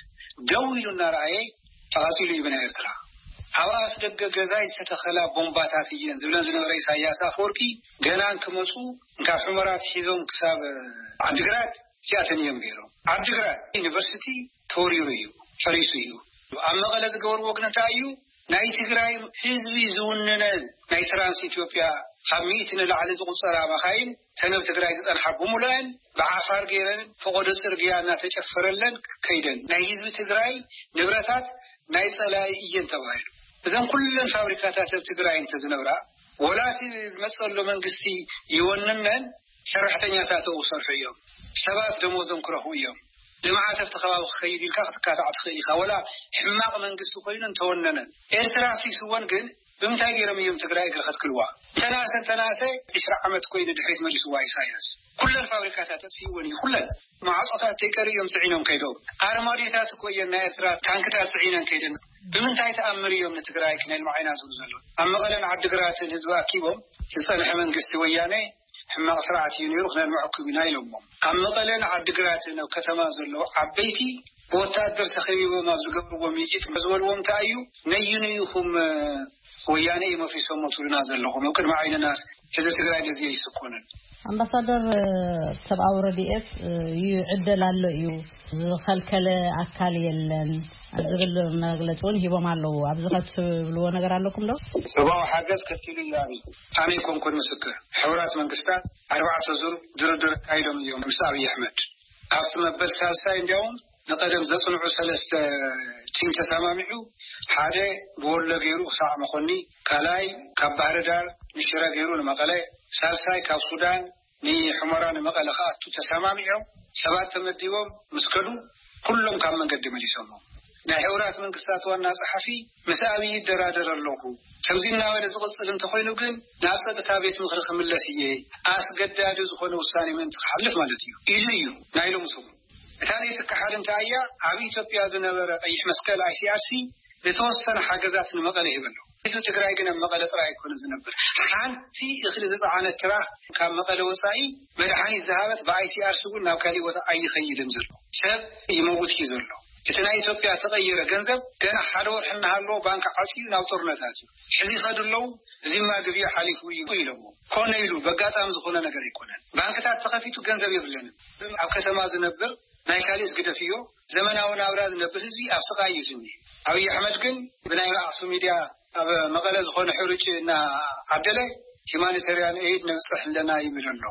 ደው ኢሉ እናረኣየ ተቓፂሉ እዩ ብናይ ኤርትራ። ኣብ ኣፍ ደገ ገዛይ ዝተተኸላ ቦምባታት እየን ዝብለን ዝነበረ ኢሳያስ ኣፈወርቂ፣ ገና እንክመፁ ካብ ሑመራ ኣትሒዞም ክሳብ ዓዲግራት እዚኣተን እዮም ገይሮም። ዓዲግራት ዩኒቨርሲቲ ተወሪሩ እዩ፣ ፈሪሱ እዩ። ኣብ መቐለ ዝገበርዎ ግን እንታይ እዩ? ናይ ትግራይ ህዝቢ ዝውንነን ናይ ትራንስ ኢትዮጵያ ካብ ሚእቲ ንላዕሊ ዝቑጸራ መኻይን ተን ኣብ ትግራይ ዝጸንሓ ብምሉአን ብዓፋር ገይረን ፈቐዶ ጽርግያ እናተጨፈረለን ከይደን፣ ናይ ህዝቢ ትግራይ ንብረታት ናይ ጸላኢ እየን ተባሂሉ። እዘን ኩለን ፋብሪካታት ኣብ ትግራይ እንተዝነብራ፣ ወላ እቲ ዝመጸሎ መንግስቲ ይወንነን፣ ሰራሕተኛታት ኣብኡ ክሰርሑ እዮም። ሰባት ደሞዞም ክረኽቡ እዮም። ልምዓት ኣብቲ ከባቢ ክኸይድ ኢልካ ክትካታዕ ትኽእል ኢኻ። ወላ ሕማቕ መንግስቲ ኮይኑ እንተወነነን፣ ኤርትራ ኣፍሪስወን ግን ብምንታይ ገይሮም እዮም ትግራይ እግሪ ከትክልዋ? እንተናሰ እንተናሰ ዒስራ ዓመት ኮይኑ ድሕሪት መሊስዋ ኢሳያስ። ኩለን ፋብሪካታት ኣጥፊእወን እዩ፣ ኩለን። ማዕጾታት ተይቀርዮም ጽዒኖም ከይዶም። ኣርማድዮታት እኮ እየን ናይ ኤርትራ ታንክታት ጽዒነን ከይደን። ብምንታይ ተኣምር እዮም ንትግራይ ክነልምዓ ኢና ዝብሉ ዘለዉ? ኣብ መቐለን ዓዲግራትን ህዝቢ ኣኪቦም ዝጸንሐ መንግስቲ ወያነ ሕማቕ ስርዓት እዩ ነይሩ፣ ክነልምዐኩም ኢና ኢሎሞም። ኣብ መቐለን ዓዲግራትን ኣብ ከተማ ዘለዉ ዓበይቲ ብወታደር ተኸቢቦም ኣብ ዝገብርዎ ምይይጥ ዝበልዎም እንታይ እዩ? ነዩኑ ኢኹም ወያነ እዮም ኣፍሪሶሞ ትብሉና ዘለኹም። ኣብ ቅድሚ ዓይንና ህዝቢ ትግራይ ነዚ ኣይስኮንን። ኣምባሳደር፣ ሰብኣዊ ረድኤት ይዕደል ኣሎ እዩ፣ ዝኸልከለ ኣካል የለን ዝብል መግለፂ እውን ሂቦም ኣለዉ። ኣብዚ ከትብልዎ ነገር ኣለኩም ዶ? ሰብኣዊ ሓገዝ ከፊሉ እዩ። ኣበይ? ኣነ ኣይኮንኩን ምስክር። ሕቡራት መንግስታት ኣርባዕተ ዙር ድርድር ኣካይዶም እዮም ምስ ኣብይ ኣሕመድ። ኣብቲ መበል ሳልሳይ እንዲያውም ንቐደም ዘጽንዑ ሰለስተ ቲም ተሰማሚዑ፣ ሓደ ብወሎ ገይሩ ክሳዕ መኾኒ፣ ካልኣይ ካብ ባህር ዳር ንሽረ ገይሩ ንመቐለ፣ ሳልሳይ ካብ ሱዳን ንሑመራ ንመቐለ ክኣቱ ተሰማሚዖም። ሰባት ተመዲቦም ምስ ከዱ፣ ኩሎም ካብ መንገዲ መሊሶሞም። ናይ ሕቡራት መንግስታት ዋና ጸሓፊ ምስ ኣብይ ይደራደር ኣለኹ፣ ከምዚ እናበለ ዝቕጽል እንተኾይኑ ግን ናብ ጸጥታ ቤት ምኽሪ ክምለስ እየ፣ ኣስገዳዲ ዝኾነ ውሳኔ ምእንቲ ክሓልፍ ማለት እዩ ኢሉ እዩ ናይ ሎሚ ሰሙን። እታ ዘይትከሓድ እንታይ እያ? ኣብ ኢትዮጵያ ዝነበረ ቀይሕ መስቀል፣ ኣይ ሲ ኣር ሲ፣ ዝተወሰነ ሓገዛት ንመቐለ ይህበሉ። ህዝቢ ትግራይ ግን ኣብ መቐለ ጥራይ ኣይኮነ ዝነብር። ሓንቲ እኽሊ ዝፀዓነት ትራክ ካብ መቐለ ወፃኢ መድሓኒት ዝሃበት ብኣይ ሲ ኣር ሲ እውን ናብ ካሊእ ቦታ ኣይኸይድን ዘሎ። ሰብ ይመውት እዩ ዘሎ። እቲ ናይ ኢትዮጵያ ተቐየረ ገንዘብ ገና ሓደ ወርሒ እናሃለዎ ባንክ ዓፅዩ ናብ ጦርነታት እዩ። ሕዚ ይኸዱ ኣለዉ። እዚማ ግብያ ሓሊፉ እዩ ኢሎሞ። ኮነ ኢሉ በጋጣሚ ዝኾነ ነገር ኣይኮነን። ባንክታት ተኸፊቱ ገንዘብ የብለንም። ኣብ ከተማ ዝነብር ናይ ካሊእስ ግደፍዮ፣ ዘመናዊ ናብራ ዝነብር ህዝቢ ኣብ ስቓይ እዩ ዝኒ። ኣብይ ኣሕመድ ግን ብናይ ኣክሱም ሚድያ ኣብ መቐለ ዝኾነ ሕሩጭ እናዓደለ ሂማኒታርያን ኤይድ ነብፅሕ ኣለና ይብል ኣሎ።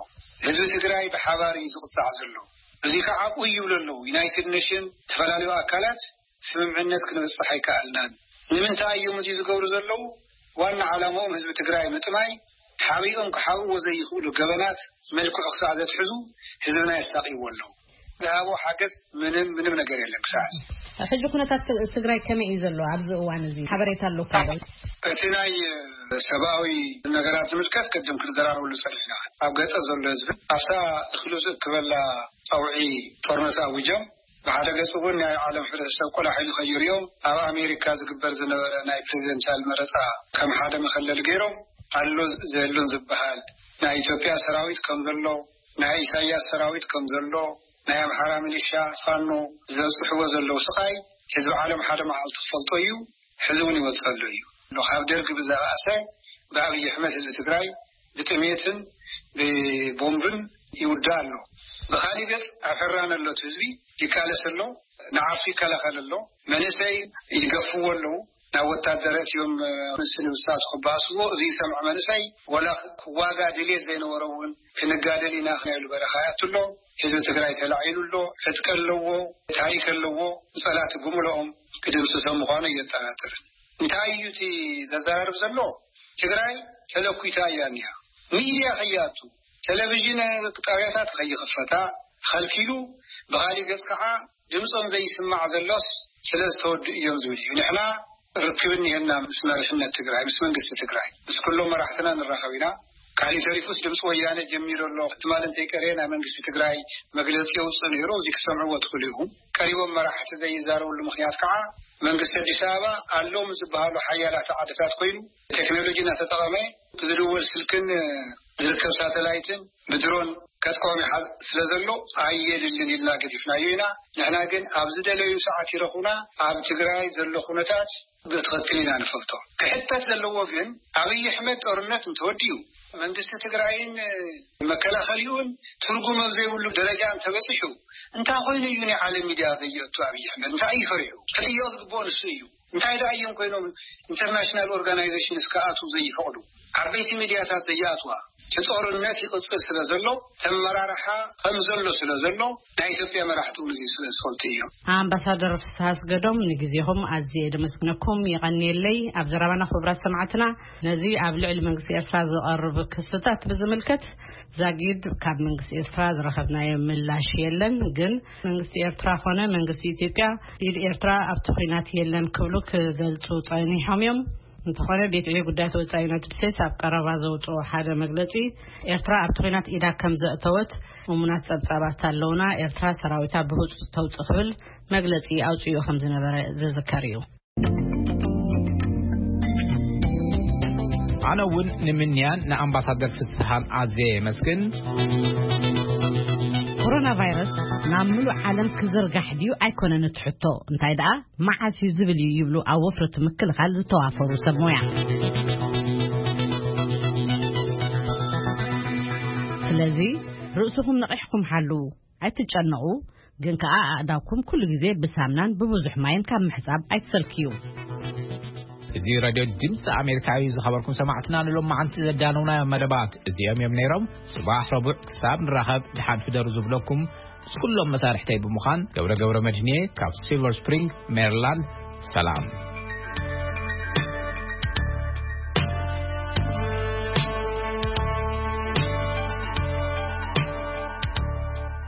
ህዝቢ ትግራይ ብሓባር እዩ ዝቕፃዕ ዘሎ። እዚ ከዓ ቁይ ይብሉ ኣለዉ። ዩናይትድ ኔሽን፣ ዝተፈላለዩ ኣካላት ስምምዕነት ክንበፅሕ ኣይከኣልናን። ንምንታይ እዮም እዚ ዝገብሩ ዘለዉ? ዋና ዓላማኦም ህዝቢ ትግራይ ምጥማይ፣ ሓቢኦም ክሓብእዎ ዘይኽእሉ ገበናት መልክዑ ክሳዕ ዘትሕዙ ህዝብና የሳቕይዎ ኣለዉ። ዝሃቦ ሓገዝ ምንም፣ ምንም ነገር የለን ክሳዕ ሕዚ። ሕጂ ኩነታት ትግራይ ከመይ እዩ ዘሎ? ኣብዚ እዋን እዚ ሓበሬታ ኣለኩም ዶ? እቲ ናይ ሰብኣዊ ነገራት ዝምልከት ቅድም ክንዘራረበሉ ጸኒሕና። ኣብ ገጠር ዘሎ ህዝቢ ኣብታ እኽሉ ዝእክበላ ጸውዒ ጦርነት ኣዊጆም፣ ብሓደ ገጽ እውን ናይ ዓለም ሕብረተሰብ ቆላሕሉ ከይርእዮም ኣብ ኣሜሪካ ዝግበር ዝነበረ ናይ ፕሬዚደንሻል መረጻ ከም ሓደ መኸለሊ ገይሮም፣ ኣሎ ዘየሎን ዝበሃል ናይ ኢትዮጵያ ሰራዊት ከም ዘሎ፣ ናይ ኢሳያስ ሰራዊት ከም ዘሎ፣ ናይ ኣምሓራ ሚሊሻ ፋኖ ዘብጽሕዎ ዘለዉ ስቓይ ህዝቢ ዓለም ሓደ መዓልቲ ክፈልጦ እዩ። ሕዚ እውን ይወጽእ ኣሎ እዩ። ካብ ደርጊ ብዝበኣሰ ብኣብይ ኣሕመድ ህዝቢ ትግራይ ብጥሜትን ብቦምብን ይውዳእ ኣሎ። ብኻሊእ ገጽ ኣብ ሕራነ ኣሎ እቲ ህዝቢ ይቃለስ ኣሎ። ንዓርሱ ይከላኸል ኣሎ። መንእሰይ ይገፍዎ ኣለዉ። ናብ ወታደር እዮም ምስ ንብሳቱ ክበኣስዎ። እዚ ዝሰምዐ መንእሰይ ወላ ክዋጋ ድልየት ዘይነበሮ እውን ክንጋደል ኢና ክነሉ በረኻ ያትሎ። ህዝቢ ትግራይ ተላዒሉ ኣሎ። ዕጥቂ ኣለዎ፣ ታሪክ ኣለዎ። ጸላእቲ ብምልኦም ክድምስሶም ምዃኑ እየጠራጥርን። እንታይ እዩ እቲ ዘዘራርብ ዘሎ? ትግራይ ተለኩታ እያ እኒኣ። ሚድያ ከይኣቱ፣ ቴሌቪዥን ጣብያታት ከይኽፈታ ኸልኪሉ፣ ብኻሊእ ገጽ ከዓ ድምፆም ዘይስማዕ ዘሎስ ስለ ዝተወዱ እዮም ዝብል እዩ። ንሕና ርክብ እኒሀና ምስ መሪሕነት ትግራይ፣ ምስ መንግስቲ ትግራይ፣ ምስ ኩሎም መራሕትና ንራኸብ ኢና። ካልእ ተሪፉስ ድምፂ ወያነ ጀሚሩ ኣሎ። ትማሊ እንተይቀረየ ናይ መንግስቲ ትግራይ መግለፂ የውፅእ ነይሩ። እዚ ክሰምዕዎ ትኽእሉ ኢኹም። ቀሪቦም መራሕቲ ዘይዛረብሉ ምኽንያት ከዓ መንግስቲ ኣዲስ ኣበባ ኣለዉ ምስ ዝበሃሉ ሓያላት ዓድታት ኮይኑ ቴክኖሎጂ እናተጠቐመ ብዝድወል ስልክን ዝርከብ ሳተላይትን ብድሮን ከጥቅዖም ይሓዝ ስለ ዘሎ ኣየድልን ኢልና ገዲፍናዮ ኢና። ንሕና ግን ኣብ ዝደለዩ ሰዓት ይረኹና። ኣብ ትግራይ ዘሎ ኩነታት ብትኽክል ኢና ንፈልጦ። ክሕተት ዘለዎ ግን ኣብይ ኣሕመድ ጦርነት እንተወዲኡ መንግስቲ ትግራይን መከላኸሊኡን ትርጉም ኣብ ዘይብሉ ደረጃ እንተበፂሑ እንታይ ኮይኑ እዩ ናይ ዓለም ሚድያ ዘየእቱ? ኣብይ ኣሕመድ እንታይ እዩ ፈሪሑ? ክጥየቕ ዝግብኦ ንሱ እዩ። እንታይ ደኣ እዮም ኮይኖም ኢንተርናሽናል ኦርጋናይዜሽንስ ክኣትዉ ዘይፈቕዱ? ዓበይቲ ሚድያታት ዘይኣትዋ? እቲ ጦርነት ይቕፅል ስለ ዘሎ፣ ተመራርሓ ከም ዘሎ ስለ ዘሎ፣ ናይ ኢትዮጵያ መራሕቲ እውን እዚ ስለ ዝፈልጡ እዮም። ኣምባሳደር ፍስሃ ኣስገዶም፣ ንግዜኹም ኣዝየ ደመስግነኩም። የቐንየለይ። ኣብ ዘረባና ክቡራት ሰማዕትና፣ ነዚ ኣብ ልዕሊ መንግስቲ ኤርትራ ዝቐርብ ክስታት ብዝምልከት ዛጊድ ካብ መንግስቲ ኤርትራ ዝረኸብናዮ ምላሽ የለን። ግን መንግስቲ ኤርትራ ኾነ መንግስቲ ኢትዮጵያ ኢድ ኤርትራ ኣብቲ ኹናት የለን ክብሉ ክገልጹ ጸኒሖም እዮም። እንተኾነ ቤት ዕዮ ጉዳያት ወጻኢ ዩናይትድ ስቴትስ ኣብ ቀረባ ዘውጽኦ ሓደ መግለጺ፣ ኤርትራ ኣብቲ ኹናት ኢዳ ከም ዘእተወት እሙናት ጸብጻባት ኣለውና፣ ኤርትራ ሰራዊታ ብህጹጽ ተውጽእ ክብል መግለጺ ኣውጺኡ ከም ዝነበረ ዝዝከር እዩ። ኣነ እውን ንምንያን ንኣምባሳደር ፍስሃን ኣዝየ የመስግን። ኮሮና ቫይረስ ናብ ምሉእ ዓለም ክዝርጋሕ ድዩ ኣይኮነን እቲ ሕቶ፣ እንታይ ደኣ መዓስ እዩ ዝብል እዩ ይብሉ ኣብ ወፍሪ እቲ ምክልኻል ዝተዋፈሩ ሰብ ሞያ። ስለዚ ርእስኹም ነቒሕኩም ሓልዉ፣ ኣይትጨነቑ፣ ግን ከኣ ኣእዳውኩም ኩሉ ግዜ ብሳምናን ብብዙሕ ማይን ካብ ምሕጻብ ኣይትሰልክዩ። እዚ ራድዮ ድምፂ ኣሜሪካ እዩ። ዝኸበርኩም ሰማዕትና፣ ንሎም መዓንቲ ዘዳነውናዮ መደባት እዚኦም እዮም ነይሮም። ጽባሕ ረቡዕ ክሳብ ንራኸብ፣ ድሓን ፍደሩ ዝብለኩም ምስ ኩሎም መሳርሕተይ ብምዃን ገብረ ገብረ መድህንየ ካብ ሲልቨር ስፕሪንግ ሜሪላንድ፣ ሰላም።